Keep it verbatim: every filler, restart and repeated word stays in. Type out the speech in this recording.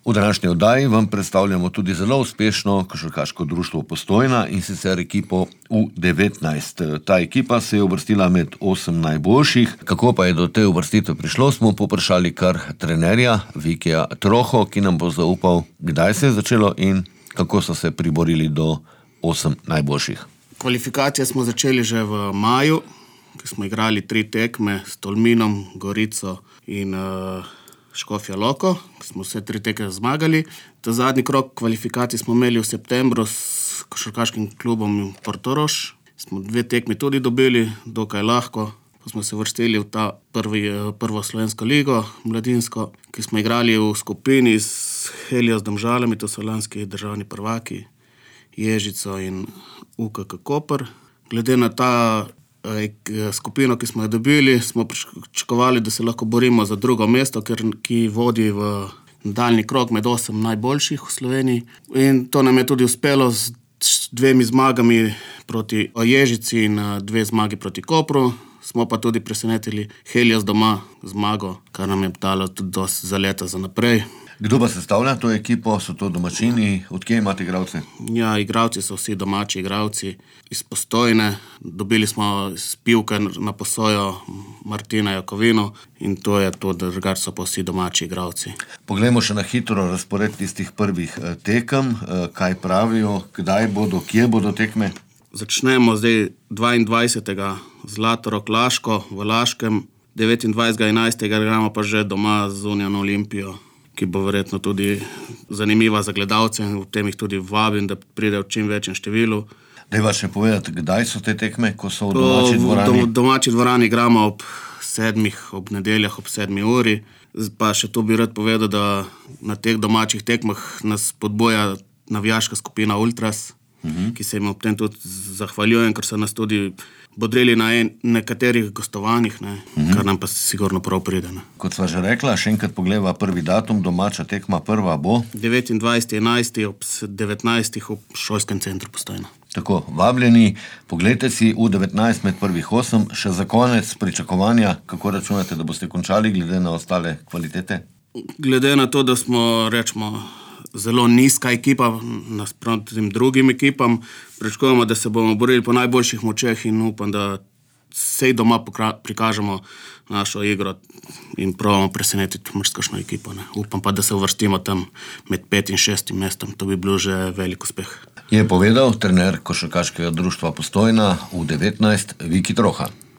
V današnji oddaji vam predstavljamo tudi zelo uspešno košarkaško društvo Postojna, in sicer ekipo U devetnajst. Ta ekipa se je uvrstila med osem najboljših. Kako pa je do te uvrstitve prišlo, smo poprašali kar trenerja Vikija Troho, ki nam bo zaupal, kdaj se je začelo in kako so se priborili do osem najboljših. Kvalifikacije smo začeli že v maju, ko smo igrali tri tekme s Tolminom, Gorico in uh, Škofja Loko. Smo vse tri tekme zmagali. Ta zadnji krog kvalifikacij smo imeli v septembru s košarkaškim klubom Portorož. Smo dve tekmi tudi dobili, dokaj lahko. Pa smo se vrstili v ta prvi, prvo slovensko ligo, mladinsko, ki smo igrali v skupini s Helios Domžalami, to so lanski državni prvaki, Ježico in U K K Koper. Glede na ta skupino, ki smo jo dobili, smo pričakovali, da se lahko borimo za drugo mesto, ker, ki vodi v nadaljnji krog med osem najboljših v Sloveniji. In to nam je tudi uspelo z dvemi zmagami proti Ježici in dve zmagi proti Kopru. Smo pa tudi presenetili Helios doma zmago, kar nam je dalo tudi dosti za leta za naprej. Kdo pa sestavlja to ekipo? So to domačini? Odkje imate igralce? Ja, igralci so vsi domači igralci iz Postojne. Dobili smo iz Pivke na posojo Martina Jakovino in to je to, da drugače so pa vsi domači igralci. Poglejmo še na hitro razpored tistih prvih tekem. Kaj pravijo? Kdaj bodo? Kje bodo tekme? Začnemo zdaj dvaindvajsetega Zlatorog Laško v Laškem, devetindvajsetega enajstega igramo pa že doma z Union Olimpijo, ki bo verjetno tudi zanimiva za gledalce in v tem jih tudi vabim, da pridejo v čim večjem številu. Dajva še povedati, kdaj so te tekme, ko so v domači dvorani? V domači dvorani igramo ob sedmih, ob nedeljah, ob sedmi uri. Pa še to bi rad povedal, da na teh domačih tekmah nas podboja navijaška skupina Ultras, uh-huh. ki se jim ob tem tudi zahvaljujem, ker so nas tudi bodrili na en, nekaterih gostovanjih, ne, uh-huh. kar nam pa sigurno prav pride. Ne. Kot sva že rekla, še enkrat pogleva prvi datum, domača tekma prva bo? devetindvajsetega enajstega ob devetnajstih v šolskem centru Postojna. Tako, vabljeni, poglejte si U devetnajst med prvih osem, še za konec pričakovanja, kako računate, da boste končali glede na ostale kvalitete? Glede na to, da smo, rečemo, zelo nizka ekipa nasproti tem drugim ekipam, pričakujemo, da se bomo borili po najboljših močeh in upam, da vsej doma prikažemo našo igro in probamo presenetiti mrskošno ekipo. Ne. Upam pa, da se uvrstimo tam med pet in šestim mestom. To bi bilo že velik uspeh. Je povedal trener košarkaškega društva Postojna U devetnajst Viki Troha.